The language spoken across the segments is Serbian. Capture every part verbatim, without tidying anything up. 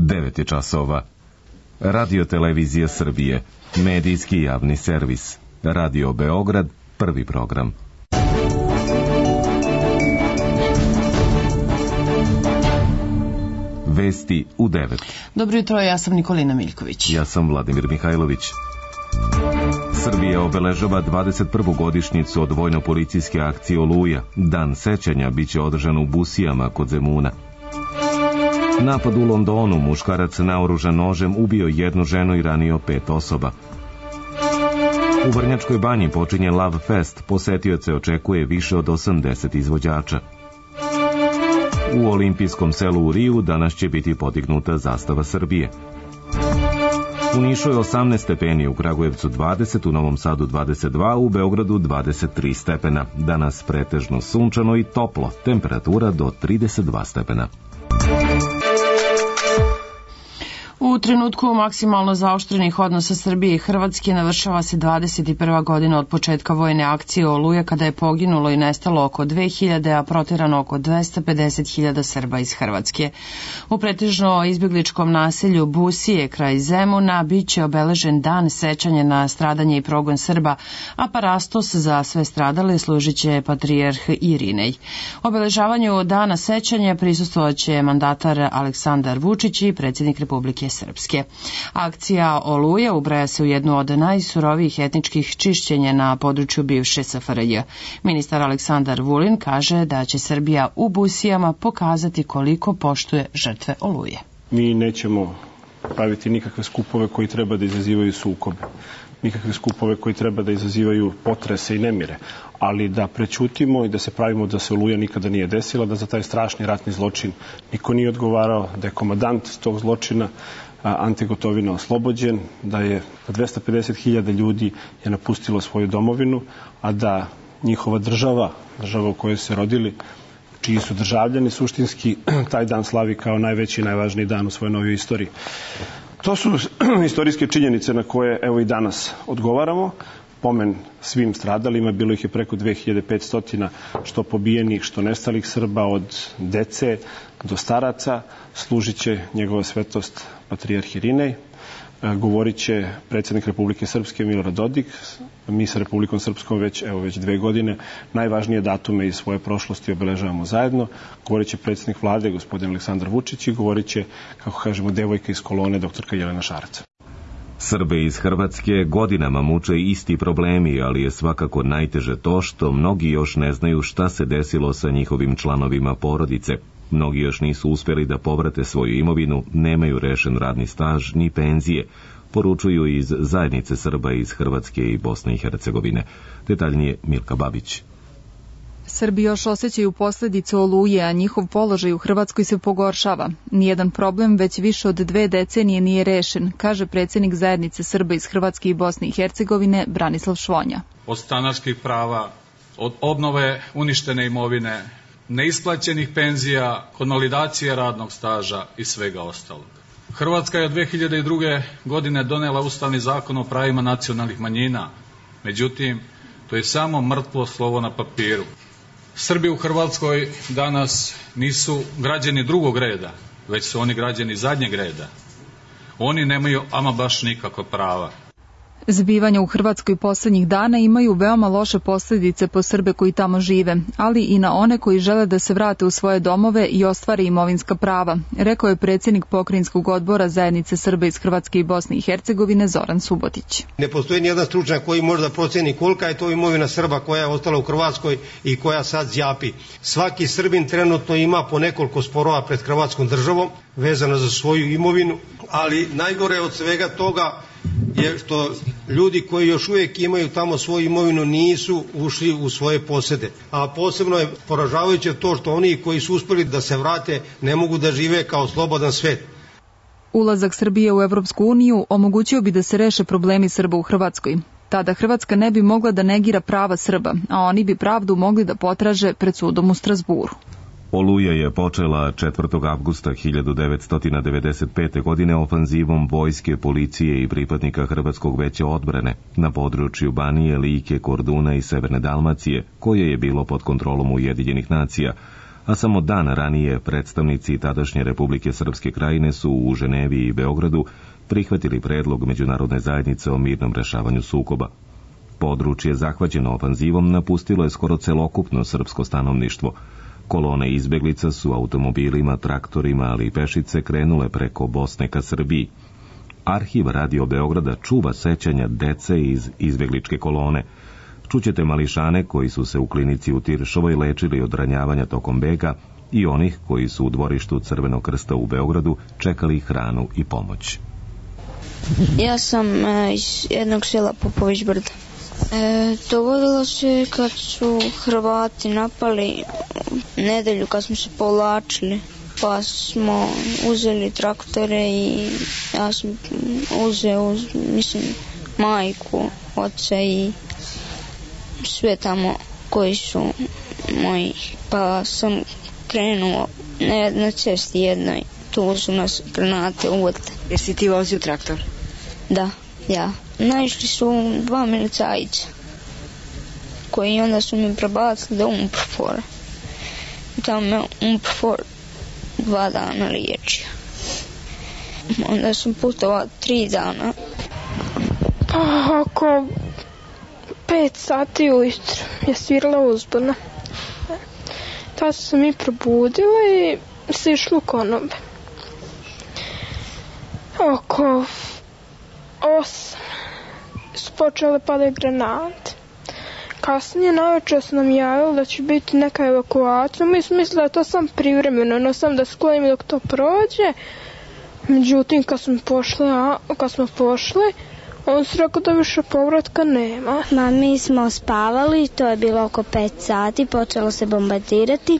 devet je časova. Radio Televizija Srbije, medijski javni servis. Radio Beograd, prvi program. Vesti u devet. Dobro jutro, ja sam Nikolina Miljković. Ja sam Vladimir Mihajlović. Srbija obeležava dvadeset prvu godišnjicu od vojno-policijske akcije Oluja. Dan sećanja biće održan u Busijama kod Zemuna. Napad u Londonu, muškarac naoružan nožem ubio jednu ženu i ranio pet osoba. U Vrnjačkoj banji počinje Love Fest, posetioce očekuje više od osamdeset izvođača. U olimpijskom selu u Riju danas će biti podignuta zastava Srbije. U Nišu je osamnaest stepeni, u Kragujevcu dvadeset, u Novom Sadu dvadeset dva, u Beogradu dvadeset tri stepena. Danas pretežno sunčano i toplo, temperatura do trideset dva stepena. U trenutku maksimalno zaoštrenih odnosa Srbije i Hrvatske navršava se dvadeset prva godina od početka vojne akcije Oluja, kada je poginulo i nestalo oko dve hiljade, a proterano oko dvesta pedeset hiljada Srba iz Hrvatske. U pretežno izbjegličkom naselju Busije kraj Zemuna biće obeležen dan sećanja na stradanje i progon Srba, a parastos za sve stradale služit će patrijarh Irinej. Obeležavanju dana sećanja prisustvovaće mandatar Aleksandar Vučić i predsjednik Republike Srpske. Akcija Oluja ubraja se u jednu od najsurovijih etničkih čišćenja na području bivše S F R J. Ministar Aleksandar Vulin kaže da će Srbija u Busijama pokazati koliko poštuje žrtve Oluje. Mi nećemo praviti nikakve skupove koji treba da izazivaju sukobe, nikakve skupove koji treba da izazivaju potrese i nemire, ali da prećutimo i da se pravimo da se Oluja nikada nije desila, da za taj strašni ratni zločin niko nije odgovarao, da je komandant tog zločina Ante Gotovina oslobođen, da je dvesta pedeset hiljada ljudi je napustilo svoju domovinu, a da njihova država, država u kojoj se rodili, čiji su državljani suštinski, taj dan slavi kao najveći i najvažniji dan u svojoj novoj istoriji. To su istorijske činjenice na koje evo i danas odgovaramo. Pomen svim stradalima, bilo ih je preko dve hiljade petsto, što pobijenih, što nestalih Srba, od dece do staraca. Služit će njegova svetost patrijarh Irinej, govorit će predsjednik Republike Srpske Milorad Dodik. Mi sa Republikom Srpskom već, evo već dve godine najvažnije datume iz svoje prošlosti obeležavamo zajedno. Govorit će predsjednik vlade gospodin Aleksandar Vučić i govorit će, kako kažemo, devojka iz kolone doktorka Jelena Šarac. Srbe iz Hrvatske godinama muče isti problemi, ali je svakako najteže to što mnogi još ne znaju šta se desilo sa njihovim članovima porodice. Mnogi još nisu uspjeli da povrate svoju imovinu, nemaju rešen radni staž ni penzije, poručuju iz zajednice Srba iz Hrvatske i Bosne i Hercegovine. Detaljnije Milka Babić. Srbi još osjećaju posljedice Oluje, a njihov položaj u Hrvatskoj se pogoršava. Nijedan problem već više od dve decenije nije rešen, kaže predsjednik zajednice Srba iz Hrvatske i Bosne i Hercegovine Branislav Švonja. Od stanarskih prava, od obnove uništene imovine, neisplaćenih penzija, konvalidacije radnog staža i svega ostalog. Hrvatska je od dve hiljade druge. godine donela Ustavni zakon o pravima nacionalnih manjina. Međutim, to je samo mrtvo slovo na papiru. Srbi u Hrvatskoj danas nisu građani drugog reda, već su oni građani zadnjeg reda. Oni nemaju ama baš nikakva prava. Zbivanja u Hrvatskoj posljednjih dana imaju veoma loše posljedice po Srbe koji tamo žive, ali i na one koji žele da se vrate u svoje domove i ostvare imovinska prava, rekao je predsjednik Pokrajinskog odbora zajednice Srba iz Hrvatske i Bosne i Hercegovine Zoran Subotić. Ne postoji nijedan stručnjak koji može da proceni kolika je to imovina Srba koja je ostala u Hrvatskoj i koja sad zjapi. Svaki Srbin trenutno ima po nekoliko sporova pred Hrvatskom državom vezano za svoju imovinu, ali najgore od svega toga je što ljudi koji još uvijek imaju tamo svoju imovinu nisu ušli u svoje posjede. A posebno je poražavajuće to što oni koji su uspjeli da se vrate ne mogu da žive kao slobodan svet. Ulazak Srbije u Evropsku uniju omogućio bi da se reše problemi Srba u Hrvatskoj. Tada Hrvatska ne bi mogla da negira prava Srba, a oni bi pravdu mogli da potraže pred sudom u Strazburu. Oluja je počela četvrtog avgusta hiljadu devetsto devedeset pete. godine ofanzivom vojske, policije i pripadnika Hrvatskog veća odbrane na području Banije, Like, Korduna i Severne Dalmacije, koje je bilo pod kontrolom Ujedinjenih nacija, a samo dan ranije predstavnici tadašnje Republike Srpske Krajine su u Ženevi i Beogradu prihvatili predlog međunarodne zajednice o mirnom rešavanju sukoba. Područje zahvaćeno ofanzivom napustilo je skoro celokupno srpsko stanovništvo. Kolone izbeglica su automobilima, traktorima, ali i pešice krenule preko Bosne ka Srbiji. Arhiv Radio Beograda čuva sećanja dece iz izbegličke kolone. Čućete mališane koji su se u klinici u Tiršovoj lečili od ranjavanja tokom bega i onih koji su u dvorištu Crvenog krsta u Beogradu čekali hranu i pomoć. Ja sam e, iz jednog sela Popović Brda. E, dogodilo se kad su Hrvati napali nedelju kad smo se povlačili, pa smo uzeli traktore i ja sam uzeo, mislim, majku, oca i sve tamo koji su moji, pa sam krenuo na, na cesti jednoj, tu su nas granate uvodile. Jesi ti vozio traktor? Da, ja. Naišli su dva milicajca koji onda su mi prebacili do Umprfora. Tamo me Umprfor dva dana liječio. Onda sam putovao tri dana. Pa oko pet sati ujutro je svirala uzbuna. Tada su se mi probudila i se išlo u konobe. Oko osam su počele padati granate. Kasnije navečer su nam javili da će biti neka evakuacija. Mi smo mislili da je to sam privremeno, no sam da sklonimo dok to prođe. Međutim, kad smo pošli, a, kad smo pošli, on se rekao da više povratka nema. Ma, mi smo spavali, to je bilo oko pet sati, počelo se bombardirati.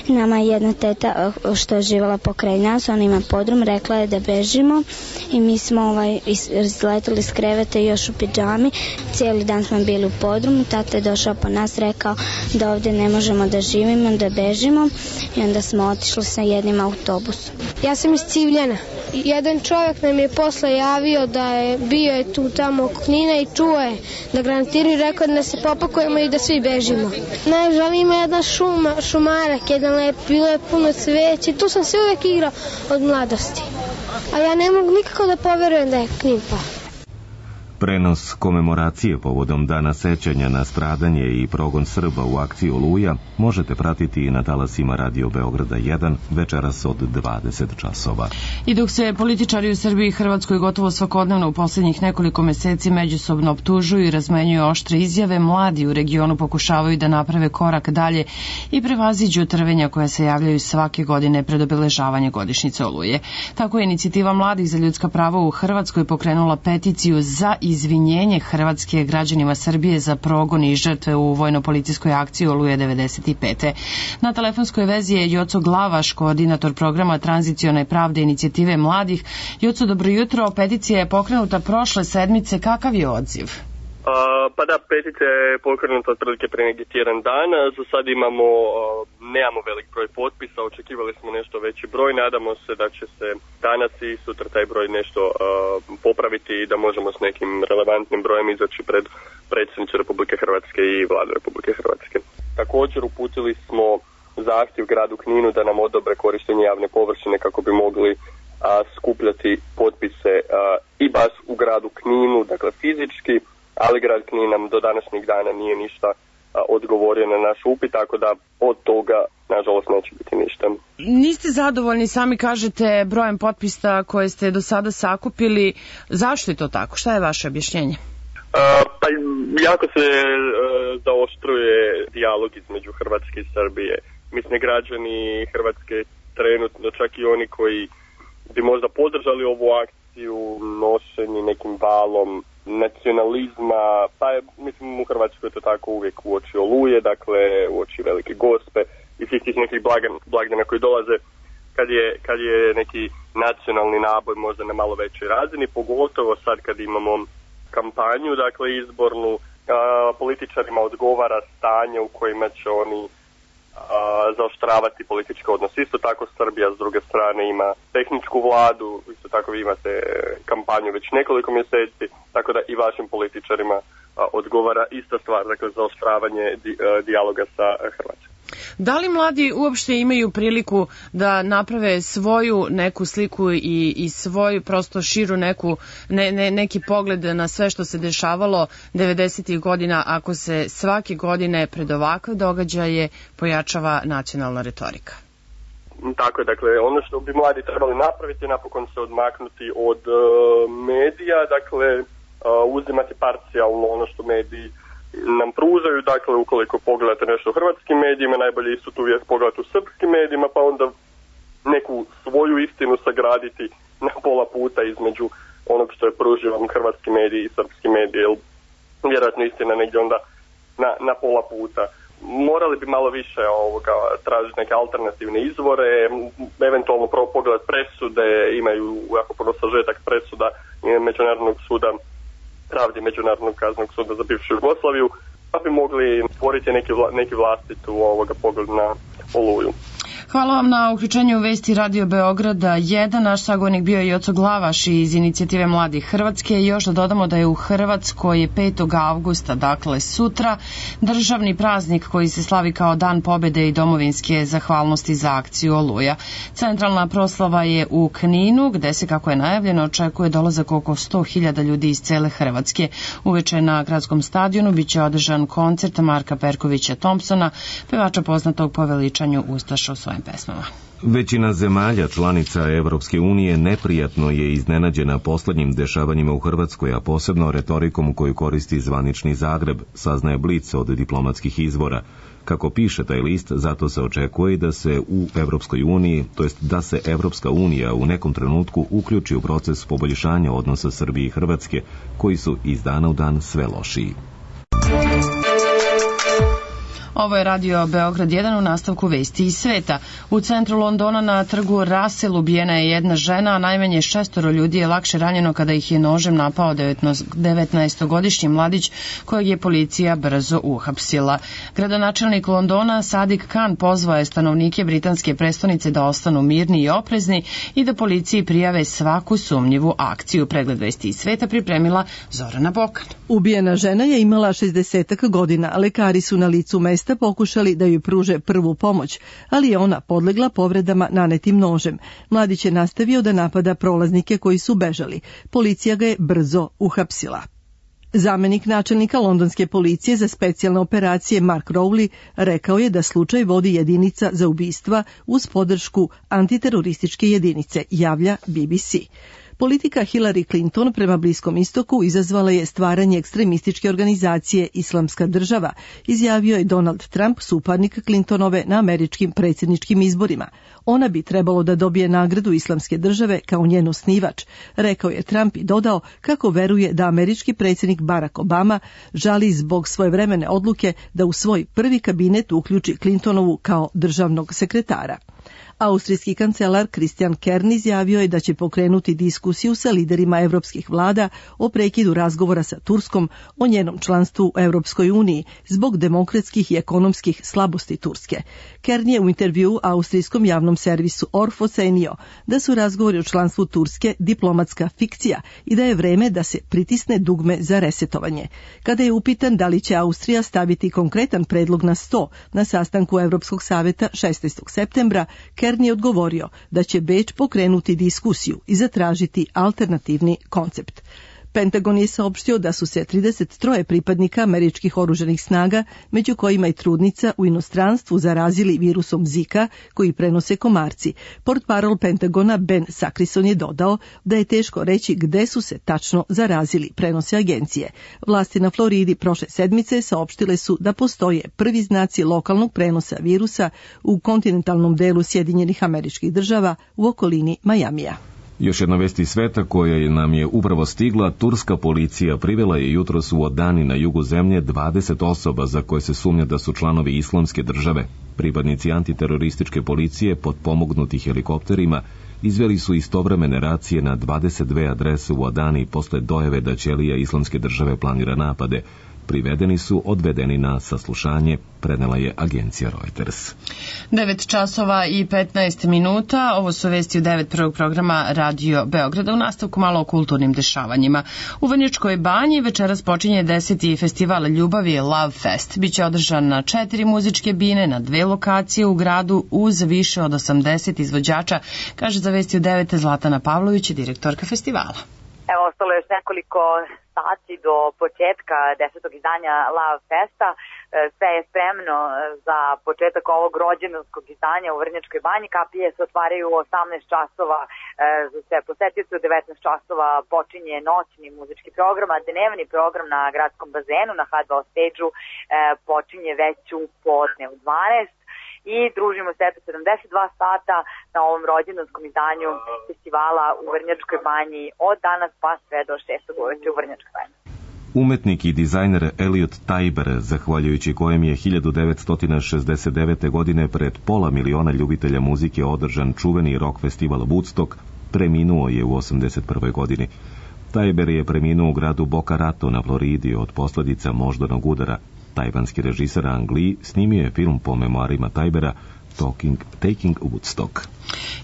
Nama je jedna teta što je živala pokraj nas, ona ima podrum, rekla je da bežimo i mi smo ovaj, izletili s kreveta još u pidžami. Cijeli dan smo bili u podrumu, tata je došao po nas, rekao da ovdje ne možemo da živimo, da bežimo i onda smo otišli sa jednim autobusom. Ja sam iz Civljana. Jedan čovjek nam je posle javio da je bio je tu tamo oko Knina i čuo je da granatiraju, rekao da se popakujemo i da svi bežimo. Najžalije ima jedna šuma, šumarak, jedan lep, bilo je puno cveće, tu sam se uvijek igrao od mladosti. A ja ne mogu nikako da poverujem da je Knin pao. Prenos komemoracije povodom Dana sećanja na stradanje i progon Srba u akciji Oluja možete pratiti i na talasima Radio Beograda jedan večeras od dvadeset časova. I dok se političari u Srbiji i Hrvatskoj gotovo svakodnevno u posljednjih nekoliko meseci međusobno optužuju i razmenjuju oštre izjave, mladi u regionu pokušavaju da naprave korak dalje i prevaziđu trvenja koja se javljaju svake godine pred obeležavanje godišnjice Oluje. Tako je inicijativa Mladih za ljudska prava u Hrvatskoj pokrenula peticiju za izvinjenje Hrvatske građanima Srbije za progon i žrtve u vojno-policijskoj akciji Oluje devedeset pete. Na telefonskoj vezi je Joco Glavaš, koordinator programa Tranzicione pravde inicijative Mladih. Joco, dobro jutro. Peticija je pokrenuta prošle sedmice. Kakav je odziv? Uh, pa da, peticija je pokrenuta otprilike pre neki tjedan dana. Za sad imamo, uh, nemamo velik broj potpisa, očekivali smo nešto veći broj. Nadamo se da će se danas i sutra taj broj nešto uh, popraviti i da možemo s nekim relevantnim brojem izaći pred predsjednicu Republike Hrvatske i Vladu Republike Hrvatske. Također uputili smo zahtjev gradu Kninu da nam odobre korištenje javne površine kako bi mogli uh, skupljati potpise uh, i baš u gradu Kninu, dakle fizički, ali grad Knin nam do današnjeg dana nije ništa a, odgovorio na naš upit, tako da od toga, nažalost, neće biti ništa. Niste zadovoljni, sami kažete, brojem potpisa koje ste do sada sakupili. Zašto je to tako? Šta je vaše objašnjenje? A, pa jako se a, zaoštruje dijalog između Hrvatske i Srbije. Mislim, građani Hrvatske trenutno, čak i oni koji bi možda podržali ovu akciju, nošeni nekim valom nacionalizma, pa je, mislim, u Hrvatskoj je to tako uvijek uoči Oluje, dakle uoči Velike Gospe i svih tih nekih blagdana koji dolaze kad je, kad je neki nacionalni naboj možda na malo većoj razini, pogotovo sad kad imamo kampanju, dakle izbornu, a, političarima odgovara stanje u kojima će oni a, zaoštravati političke odnose. Isto tako Srbija s druge strane ima tehničku vladu, isto tako vi imate kampanju već nekoliko mjeseci, tako da i vašim političarima a, odgovara ista stvar, dakle zaoštravanje di, a, dijaloga sa Hrvatskom. Da li mladi uopšte imaju priliku da naprave svoju neku sliku i, i svoju prosto širu neku, ne, ne, neki pogled na sve što se dešavalo devedesetih godina ako se svake godine pred ovakve događaje pojačava nacionalna retorika? Tako je, dakle, ono što bi mladi trebali napraviti je napokon se odmaknuti od uh, medija, dakle, uh, uzimati parcijalno ono što mediji nam pružaju, dakle, ukoliko pogledate nešto u hrvatskim medijima, najbolje isto tu uvijek pogledati u srpskim medijima, pa onda neku svoju istinu sagraditi na pola puta između onog što je pružio vam hrvatski mediji i srpski mediji, jer vjerojatno istina negdje onda na, na pola puta. Morali bi malo više ovoga, tražiti neke alternativne izvore, eventualno pogledati presude, imaju jako puno sažetak presuda Međunarodnog suda pravdi Međunarodnog kaznenog suda za bivšu Jugoslaviju, pa bi mogli stvoriti neki, vla, neki vlastitu ovoga pogled na Oluju. Hvala vam na uključenju u vesti Radio Beograda jedan. Naš sagovornik bio je Joco Glavaš iz inicijative Mladih Hrvatske. Još da dodamo da je u Hrvatskoj petog avgusta, dakle sutra, državni praznik koji se slavi kao Dan pobede i domovinske zahvalnosti za akciju Oluja. Centralna proslava je u Kninu, gde se, kako je najavljeno, očekuje dolazak oko sto hiljada ljudi iz cele Hrvatske. Uveče na gradskom stadionu biće održan koncert Marka Perkovića Thompsona, pevača poznatog po veličanju ustaša u svojim pesmama. Većina zemalja članica Evropske unije neprijatno je iznenađena poslednjim dešavanjima u Hrvatskoj, a posebno retorikom koju koristi zvanični Zagreb, saznaje Blic od diplomatskih izvora. Kako piše taj list, zato se očekuje da se u Evropskoj uniji, to jest da se Evropska unija u nekom trenutku uključi u proces poboljšanja odnosa Srbije i Hrvatske, koji su iz dana u dan sve lošiji. Ovo je Radio Beograd jedan, u nastavku vesti iz sveta. U centru Londona na trgu Russell ubijena je jedna žena, a najmanje šestoro ljudi je lakše ranjeno kada ih je nožem napao devetnaestogodišnji mladić kojeg je policija brzo uhapsila. Gradonačelnik Londona Sadiq Khan pozvao je stanovnike britanske prestonice da ostanu mirni i oprezni i da policiji prijave svaku sumnjivu akciju. Pregled vesti iz sveta pripremila Zorana Bokan. Ubijena žena je imala šezdeset godina, lekari su na licu mesta pokušali da joj pruže prvu pomoć, ali je ona podlegla povredama nanetim nožem. Mladić je nastavio da napada prolaznike koji su bežali. Policija ga je brzo uhapsila. Zamenik načelnika londonske policije za specijalne operacije Mark Rowley rekao je da slučaj vodi jedinica za ubistva uz podršku antiterorističke jedinice, javlja B B C. Politika Hillary Clinton prema Bliskom istoku izazvala je stvaranje ekstremističke organizacije Islamska država, izjavio je Donald Trump, suparnik Clintonove na američkim predsjedničkim izborima. Ona bi trebalo da dobije nagradu Islamske države kao njen osnivač, rekao je Trump i dodao kako veruje da američki predsjednik Barack Obama žali zbog svojevremene odluke da u svoj prvi kabinet uključi Clintonovu kao državnog sekretara. Austrijski kancelar Christian Kern izjavio je da će pokrenuti diskusiju sa liderima evropskih vlada o prekidu razgovora sa Turskom o njenom članstvu u Evropskoj uniji zbog demokratskih i ekonomskih slabosti Turske. Kern je u intervjuu austrijskom javnom servisu Orf ocenio da su razgovori o članstvu Turske diplomatska fikcija i da je vreme da se pritisne dugme za resetovanje. Kada je upitan da li će Austrija staviti konkretan predlog na sto na sastanku Evropskog saveta šesnaestog septembra, Kern je odgovorio da će Beč pokrenuti diskusiju i zatražiti alternativni koncept. Pentagon je saopštio da su se trideset tri pripadnika američkih oružanih snaga, među kojima i trudnica, u inostranstvu zarazili virusom Zika koji prenose komarci. Portparol Pentagona Ben Sakrison je dodao da je teško reći gde su se tačno zarazili, prenose agencije. Vlasti na Floridi prošle sedmice saopštile su da postoje prvi znaci lokalnog prenosa virusa u kontinentalnom delu Sjedinjenih Američkih Država u okolini Majamija. Još jedna vest iz sveta koja nam je upravo stigla, turska policija privela je jutros u Odani na jugu zemlje dvadeset osoba za koje se sumnja da su članovi Islamske države. Pripadnici antiterorističke policije potpomognuti helikopterima izveli su istovremene racije na dvadeset dve adrese u Odani posle dojave da ćelija Islamske države planira napade. privedeni su odvedeni na saslušanje, prenela je agencija Reuters. devet časova i petnaest minuta, ovo su vesti u devet prvog programa Radio Beograda. U nastavku malo o kulturnim dešavanjima. U Vrnjačkoj banji večeras počinje deseti festival ljubavi Love Fest. Biće održan na četiri muzičke bine, na dve lokacije u gradu uz više od osamdeset izvođača, kaže za vesti u devet Zlatana Pavlović, direktorka festivala. Evo, ostalo je još nekoliko sati do početka desetog izdanja Love Festa. Sve je spremno za početak ovog rođendanskog izdanja u Vrnjačkoj banji. Kapije se otvaraju u osamnaest časova za sve posetioce, u devetnaest časova počinje noćni muzički program, a dnevni program na gradskom bazenu na ha dva stage-u počinje već u podne u dvanaest. I družimo se eto sedamdeset dva sata na ovom rođendanskom izdanju festivala u Vrnjačkoj banji od danas pa sve do šestog uveče u Vrnjačkoj banji. Umetnik i dizajner Elliot Tajber, zahvaljujući kojem je hiljadu devetsto šezdeset devete. godine pred pola miliona ljubitelja muzike održan čuveni rock festival Woodstock, preminuo je u osamdeset prvoj. godini. Tajber je preminuo u gradu Boca Raton na Floridi od posljedica moždanog udara. Tajvanski režiser Ang Lee snimio je film po memoarima Tajbera Talking, Taking Woodstock.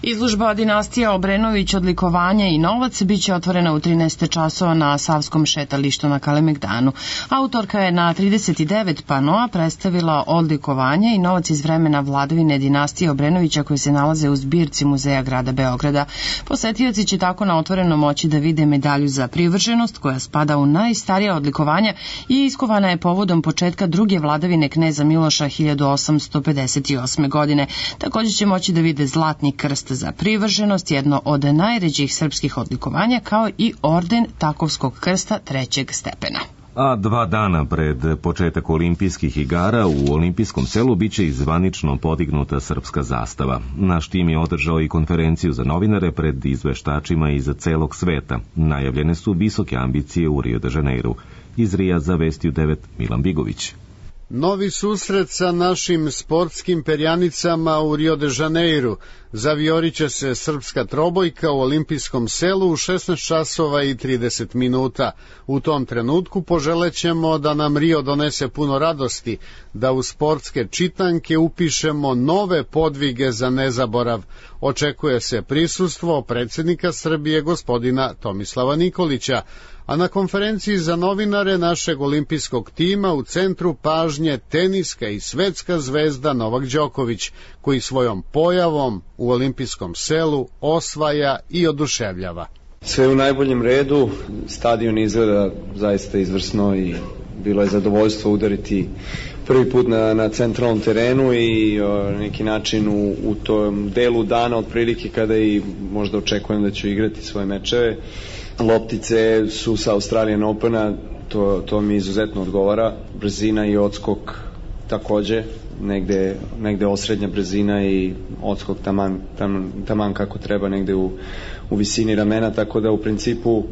Izložba dinastija Obrenović, odlikovanja i novac biće otvorena u trinaest časova na Savskom šetalištu na Kalemegdanu. Autorka je na trideset devet panoa predstavila odlikovanja i novac iz vremena vladavine dinastije Obrenovića koji se nalaze u zbirci Muzeja grada Beograda. Posetioci će tako na otvorenom moći da vide medalju za privrženost koja spada u najstarija odlikovanja i iskovana je povodom početka druge vladavine kneza Miloša hiljadu osamsto pedeset osme. godine. Također će moći da vide zlatni krst za privrženost, jedno od najređih srpskih odlikovanja, kao i orden Takovskog krsta trećeg stepena. A dva dana pred početak olimpijskih igara u olimpijskom selu biće i zvanično podignuta srpska zastava. Naš tim je održao i konferenciju za novinare pred izveštačima iz celog sveta. Najavljene su visoke ambicije u Rio de Janeiru. Iz Rija za vesti u devet Milan Bigović. Novi susret sa našim sportskim perjanicama u Rio de Janeiru. Zavioriće se srpska trobojka u olimpijskom selu u šesnaest časova i trideset minuta. U tom trenutku poželećemo da nam Rio donese puno radosti, da u sportske čitanke upišemo nove podvige za nezaborav. Očekuje se prisustvo predsjednika Srbije gospodina Tomislava Nikolića, a na konferenciji za novinare našeg olimpijskog tima u centru pažnje teniska i svetska zvezda Novak Đoković, koji svojom pojavom u olimpijskom selu osvaja i oduševljava. Sve u najboljem redu, stadion izgleda zaista izvrsno i bilo je zadovoljstvo udariti prvi put na, na centralnom terenu i o, neki način u, u tom delu dana otprilike kada i možda očekujem da ću igrati svoje mečeve. Loptice su sa Australian Opena, to, to mi izuzetno odgovara. Brzina i odskok takođe, negde, negde osrednja brzina i odskok taman, taman, taman kako treba, negde u, u visini ramena, tako da u principu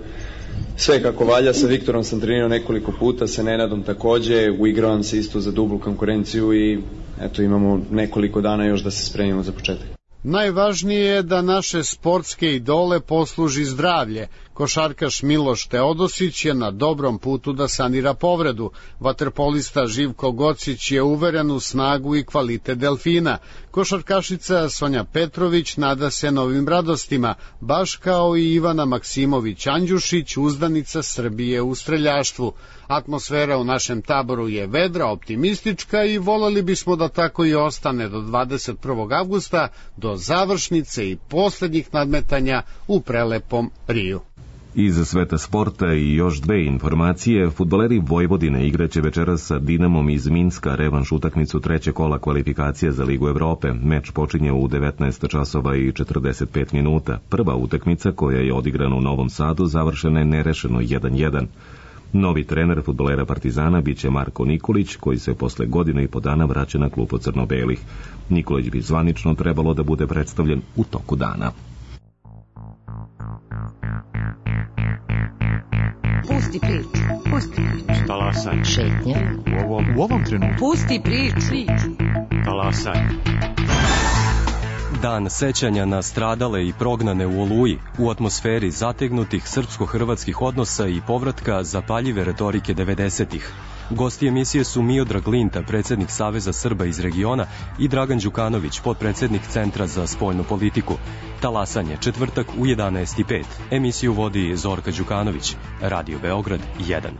sve kako valja. Sa Viktorom sam trenirao nekoliko puta, sa Nenadom takođe, uigravam se isto za dublu konkurenciju i eto imamo nekoliko dana još da se spremimo za početak. Najvažnije je da naše sportske idole posluži zdravlje. Košarkaš Miloš Teodosić je na dobrom putu da sanira povredu. Vaterpolista Živko Gocić je uveren u snagu i kvalitet delfina. Košarkašica Sonja Petrović nada se novim radostima, baš kao i Ivana Maksimović Andjušić, uzdanica Srbije u streljaštvu. Atmosfera u našem taboru je vedra, optimistička i voleli bismo da tako i ostane do dvadeset prvog avgusta, do završnice i posljednjih nadmetanja u prelepom Riju. Iz sveta sporta i još dve informacije. Fudbaleri Vojvodine igraće večeras sa Dinamom iz Minska revanš utakmicu treće kola kvalifikacije za Ligu Evrope. Meč počinje u devetnaest časova i četrdeset pet minuta. Prva utakmica koja je odigrana u Novom Sadu završena je nerešeno jedan jedan. Novi trener fudbalera Partizana biće Marko Nikolić, koji se posle godine i po dana vraća na klupu crno-belih. Nikolić bi zvanično trebalo da bude predstavljen u toku dana. Pusti priču, pusti priču. Talasaj. Šetnja. U ovom, u ovom trenutku. Pusti priču. Talasaj. Dan sećanja na stradale i prognane u Oluji, u atmosferi zategnutih srpsko-hrvatskih odnosa i povratka zapaljive retorike devedesetih. Gosti emisije su Miodrag Linta, predsjednik Saveza Srba iz regiona, i Dragan Đukanović, potpredsjednik Centra za spoljnu politiku. Talasanje, četvrtak u jedanaest i pet. Emisiju vodi Zorka Đukanović. Radio Beograd jedan.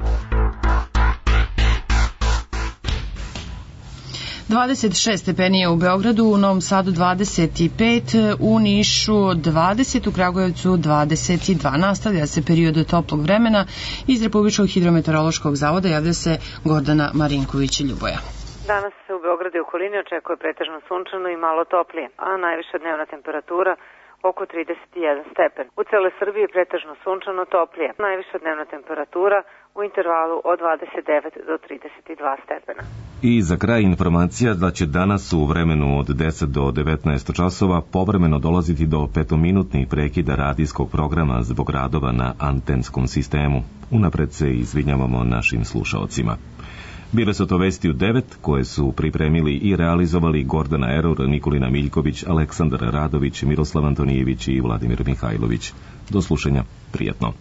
dvadeset šest stepeni je u Beogradu, u Novom Sadu dvadeset pet, u Nišu dvadeset, u Kragujevcu dvadeset dva. Nastavlja se period toplog vremena. Iz Republičkog hidrometeorološkog zavoda javlja se Gordana Marinković-Ljuboja. Danas se u Beogradu i okolini očekuje pretežno sunčano i malo toplije, a najviša dnevna temperatura oko trideset jedan stepen. U celoj Srbiji pretežno sunčano toplije. Najviša dnevna temperatura u intervalu od dvadeset devet do trideset dva stepena. I za kraj informacija da će danas u vremenu od deset do devetnaest časova povremeno dolaziti do petominutnih prekida radijskog programa zbog radova na antenskom sistemu. Unapred se izvinjavamo našim slušaocima. Bile su to vesti u devet, koje su pripremili i realizovali Gordana Eror, Nikolina Miljković, Aleksandar Radović, Miroslav Antonijević i Vladimir Mihajlović. Do slušanja, prijetno.